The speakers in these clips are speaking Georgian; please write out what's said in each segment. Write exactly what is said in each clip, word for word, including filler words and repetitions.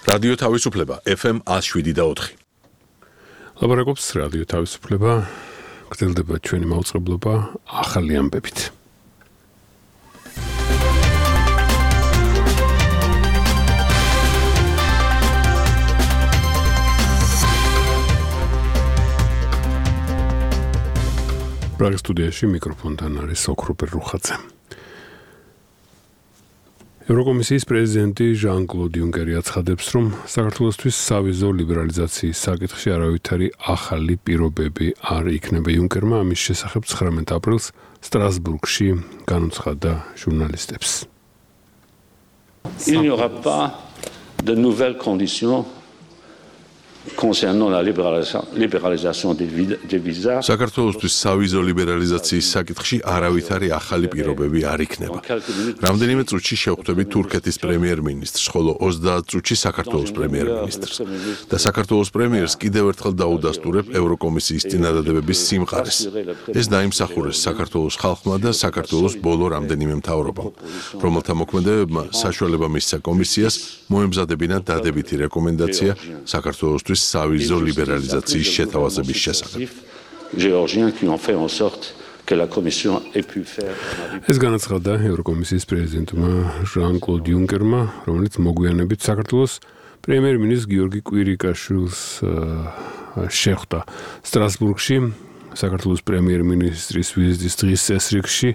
რადიო თავისუფლება ეფ ემ one oh seven და four. ლაბორატორიის რადიო თავისუფლება გრძელდება ჩვენი მაუწყებლობა ახალი ამბებით. პრაღის სტუდიაში მიკროფონთან არის ოქროპერ რუხაძე. ევროკომისიის პრეზიდენტი ჟან-კლოდ იუნკერი აცხადებს, რომ საქართველოსთვის სავიზო ლიბერალიზაციის საკითხში არავითარი ახალი პირობები არ იქნება. იუნკერმა ამის შესახებ ცხრამეტ აპრილს სტრასბურგში განუცხადა ჟურნალისტებს. Il n'y aura pas de nouvelles conditions concernant la libéralisation des visas. საქართველოსთვის სავიზო ლიბერალიზაციის საკითხში არავითარი ახალი პირობები არ იქნება. რამდენიმე წუთში შევხვდებით თურქეთის პრემიერ-მინისტრს, ხოლო ოცდაათ წუთში საქართველოს პრემიერ-მინისტრს. და საქართველოს პრემიერს კიდევ ერთხელ დაუდასტურებ ევროკომისიის წინადადებების სიმყარეს. ეს დაიმსახურეს საქართველოს ხალხმა და საქართველოს ბოლო რამდენიმე მთავრობამ, რომელთა მოქმედებებმა საშუალება მისცა კომისიას მოემზადებინა დადებითი რეკომენდაცია საქართველოსთვის სავიზო ლიბერალიზაციის შეთავაზების შესახებ. ეს განაცხადა ევროკომისიის პრეზიდენტმა ჟან-კლოდ იუნკერმა, რომელიც მოგვიანებით საქართველოს პრემიერ-მინისტრ გიორგი კვირიკაშვილს შეხვდა სტრასბურგში. საქართველოს პრემიერ-მინისტრის ვიზიტის დღის წესრიგში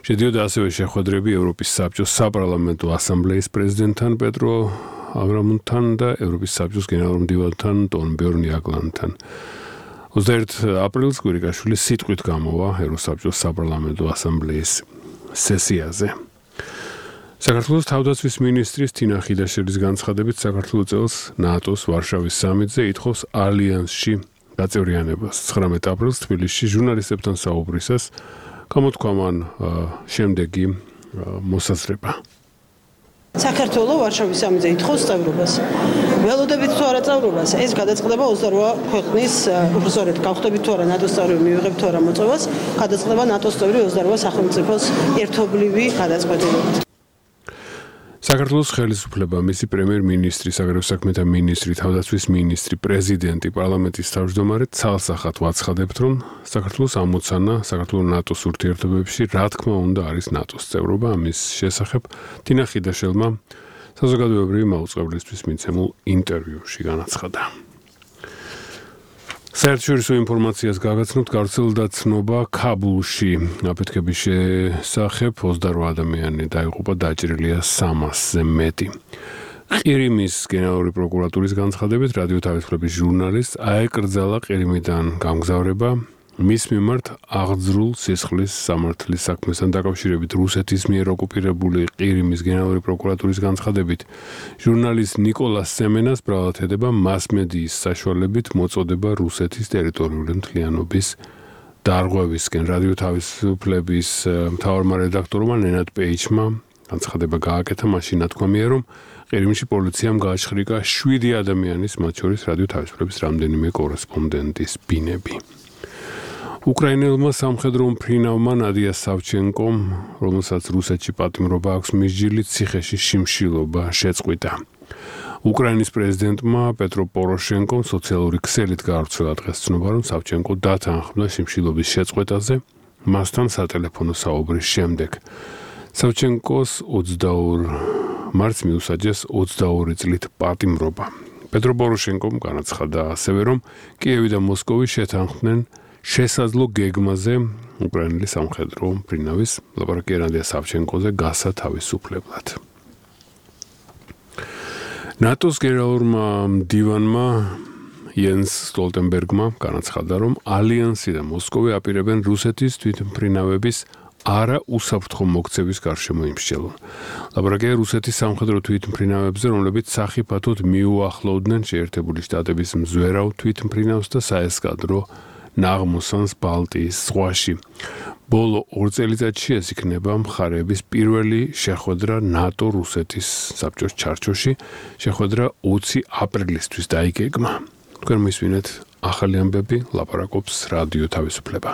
შედიოდა ასევე შეხვედრები ევროპის საბჭოს საპარლამენტო ასამბლეის პრეზიდენტთან პეტრო ავრამუნთან და ევროპის საბჭოს გენერალურ მდივანთან ტონბერნ იაგლანთან. ოცდაერთ აპრილს კვირიკაშვილი სიტყვით გამოვა ევროსაბჭოს საპარლამენტო ასამბლეის სესიაზე. საქართველოს თავდაცვის მინისტრის თინა ხიდაშელის განცხადებით საქართველოს წელს ნატოს ვარშავის სამიტზე ითხოვს ალიანსში გაწევრიანებას. ცხრამეტ აპრილს თბილისში ჟურნალისტებთან საუბრისას გამოთქვა მან შემდეგი მოსაზრება. საქართველოს ვარშავის სამიტზე ითხოვს წევრობას. ველოდებით თუ არა წევრობას, ეს გადაწყდება ოცდარვა ქვეყნის, უბრალოდ გავხდებით თუ არა ნატოს წევრი, მივიღებთ თუ არა მოწვევას, გადაწყდება ნატოს წევრი ოცდარვა სახელმწიფოს ერთობლივი გადაწყვეტილებით. საქართველოს ხელისუფლება, მისი პრემიერ-მინისტრი, საგარეო საქმეთა მინისტრი, თავდაცვის მინისტრი, პრეზიდენტი, პარლამენტის თავმჯდომარე ცალსახად ვაცხადებთ, რომ საქართველოს ამოცანა საქართველოს ნატოს ურთიერთობებში რა თქმა უნდა არის ნატოს წევრობა. ამის შესახებ თინა ხიდაშელმა საზოგადოებრივი მაუწყებლისთვის მიცემულ ინტერვიუში განაცხადა. საერთაშორისო ინფორმაციას გაგაცნობთ, გავრცელდა ცნობა ქაბულში აფეთქების შესახებ ოცდარვა ადამიანი დაიღუპა, დაჭრილია სამასზე მეტი. ყირიმის გენერალური პროკურატურის განცხადებით რადიო თავისუფლების ჟურნალისტს აეკრძალა ყირიმიდან გამგზავრება მის მიმართ აღძრულ სისხლის სამართლის საქმესთან დაკავშირებით. რუსეთის მიერ ოკუპირებული ყირიმის გენერალური პროკურატურის განცხადებით ჟურნალისტ ნიკოლას სემენას ბრალად ედება მასმედიის საშუალებით მოწოდება რუსეთის ტერიტორიული მთლიანობის დარღვევისკენ. რადიო თავისუფლების მთავარმა რედაქტორმა ნენად პეიჩმა განცხადება გააკეთა, მაშინ ნათქვამია, რომ ყირიმში პოლიციამ გააჩხრიკა შვიდი ადამიანის, მათ შორის რადიო თავისუფლების რამდენიმე კორესპონდენტის ბინები. უკრაინელმა სამხედრო მფრინავმა ნადია სავჩენკომ, რომელსაც რუსეთში პატიმრობა აქვს მისჯილი, ციხეში შიმშილობა შეწყვიტა. უკრაინის პრეზიდენტმა პეტრო პოროშენკომ სოციალური ქსელით გაავრცელა დღეს ცნობა, რომ სავჩენკო დათანხმდა შიმშილობის შეწყვეტაზე მასთან სატელეფონო საუბრის შემდეგ. სავჩენკოს ოცდაორ მარტს მიუსაჯეს ოცდაორი წლით პატიმრობა. პეტრო პოროშენკომ განაცხადა ასევე, რომ კიევი და მოსკოვი შეთანხმდნენ შესაძლო გეგმაზე უკრაინელი სამხედრო მფრინავის ლაპარაკია ნადია სავჩენკოზე გასათავისუფლებლად. ნატოს გენერალურმა მდივანმა იენს სტოლტენბერგმა განაცხადა, რომ ალიანსი და მოსკოვი აპირებენ რუსეთის თვითმფრინავების არა უსაფრთხო მოქცევის გარშემო იმსჯელონ. ლაპარაკია რუსეთის სამხედრო თვითმფრინავებზე, რომლებიც სახიფათოდ მიუახლოვდნენ შეერთებული შტატების მზვერავ თვითმფრინავს და საესკადრო ნაღმოსანს ბალტიის ზღვაში. ბოლო ორ წელიწადში ეს იქნება მხარეების პირველი შეხვედრა ნატო-რუსეთის საბჭოს ჩარჩოში. შეხვედრა ოცი აპრილისთვის დაიგეგმა. თქვენ მისვინეთ ახალი ამბები, ლაპარაკობს რადიო თავისუფლება.